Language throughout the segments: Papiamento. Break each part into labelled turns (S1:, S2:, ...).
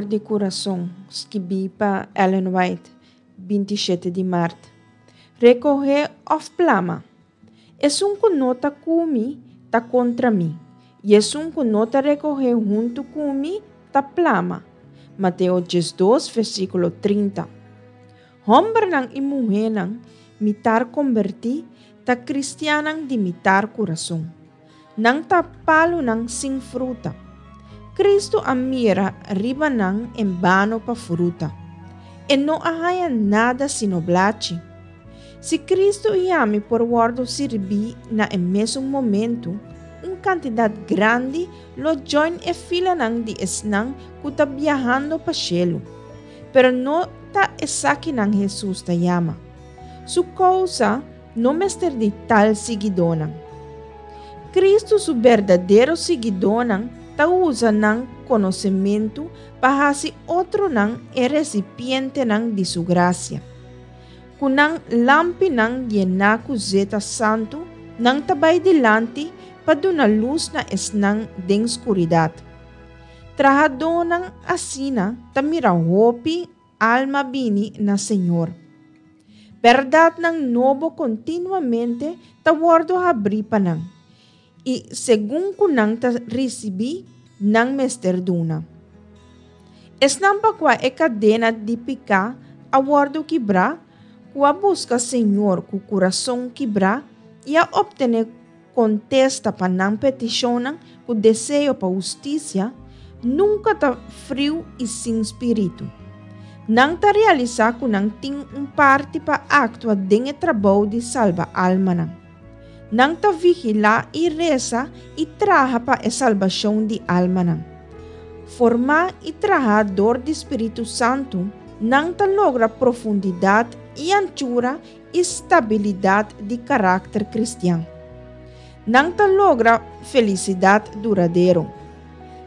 S1: For di Kurason, skibí pa Ellen White, 27 di mart. Rekohé òf plama? Esun ku no ta ku mi, ta kontra mi, i esun ku no ta rekohé huntu ku mi, ta plama. Mateo 12, versíkulo 30. Hòmbernan i muhénan mitar kombertí ta kristiannan di mitar kurason. Nan ta palunan sin fruta. Kristu a mira riba nan en bano pa fruta. E no a haña nada sino blachi. Si Kristu i ami por wòrdu sirbí na e mesun momentu, un kantidat grandi lo join e filanan di esnan ku ta biahando pa shelu. Pero no ta esakinan Hesus ta yama. Su kousa no mester di tal siguidónan. Kristu su berdadero siguidónan ta usa nan konosementu pa hasi otronan e resipientenan di su grasia. Ku nan lampinan yená ku zeta santu, nan ta bai dilanti pa duna lus na esnan den skuridat. Trahadónan asina ta mira hopi alma bini na Señor. Bèrdatnan nobo kontinuamente ta wòrdu habrí pa nan, i segun ku nan ta risibí, nan mester duna. Esnan pa kua e kadena di piká a wòrdu kibrá, ku a buska Señor ku kurason kibrá i a optené kontesta pa nan petishonnan ku deseo pa hustisia, nunka ta friu i sin spiritu. Nan ta realisá ku nan tin un parti pa aktua den e trabou di salba almanan. Nan ta vigilá i resa i traha pa e salbashon di almanan. Formá i trahá dor di spiritu santu, nan ta logra profundidat i anchura i stabilidat di karakter kristian. Nan ta logra felisidat duradero.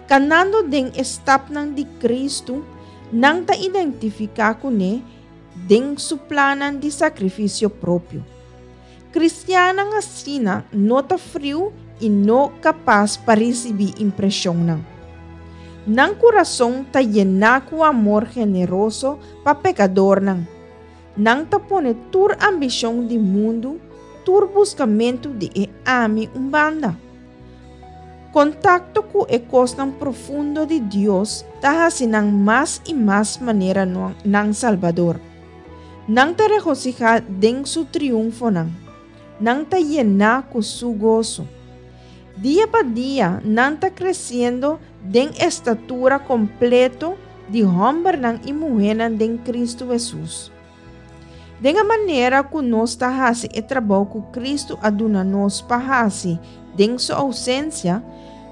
S1: Kanando den e stapnan di Kristu, nan ta identifiká kuné den su plannan di sakrifisio propio. Kristiannan asina no ta friu i no kapas pa risibí impreshonnan. Nan kurason ta yená ku amor generoso pa pekadornan. Nan ta pone tur ambishon di mundu, tur buskamentu di e ami un banda. Kontakto ku e kosnan profundo di Dios ta hasi nan mas i mas manera nan Salbador. Nan ta regosihá den su triunfonan. Nan ta yená ku su goso. Dia pa dia nan ta kresiendo den estatura kompleto di hòmbernan i muhénan den Kristu Hesus. Den e manera ku nos ta hasi e trabou ku Kristu a duna nos pa hasi den su ousensia,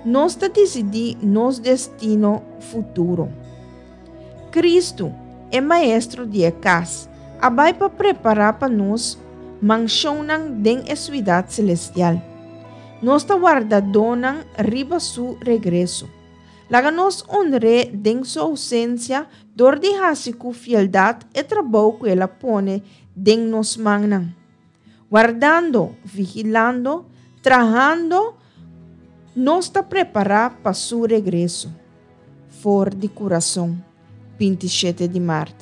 S1: nos ta disidí nos destino futuro. Kristu, e Maestro di e kas, a bai pa prepará pa nos manshonnan den e suidat selestial. Nos ta wardadónan riba su regreso. Laga nos honr'é den su ousensia dor di hasi ku fieldat e trabou ku el a pone den nos mannan. Wardando, vigilando, trahando, nos ta prepará pa su regreso. For di kurason, 27 di mart.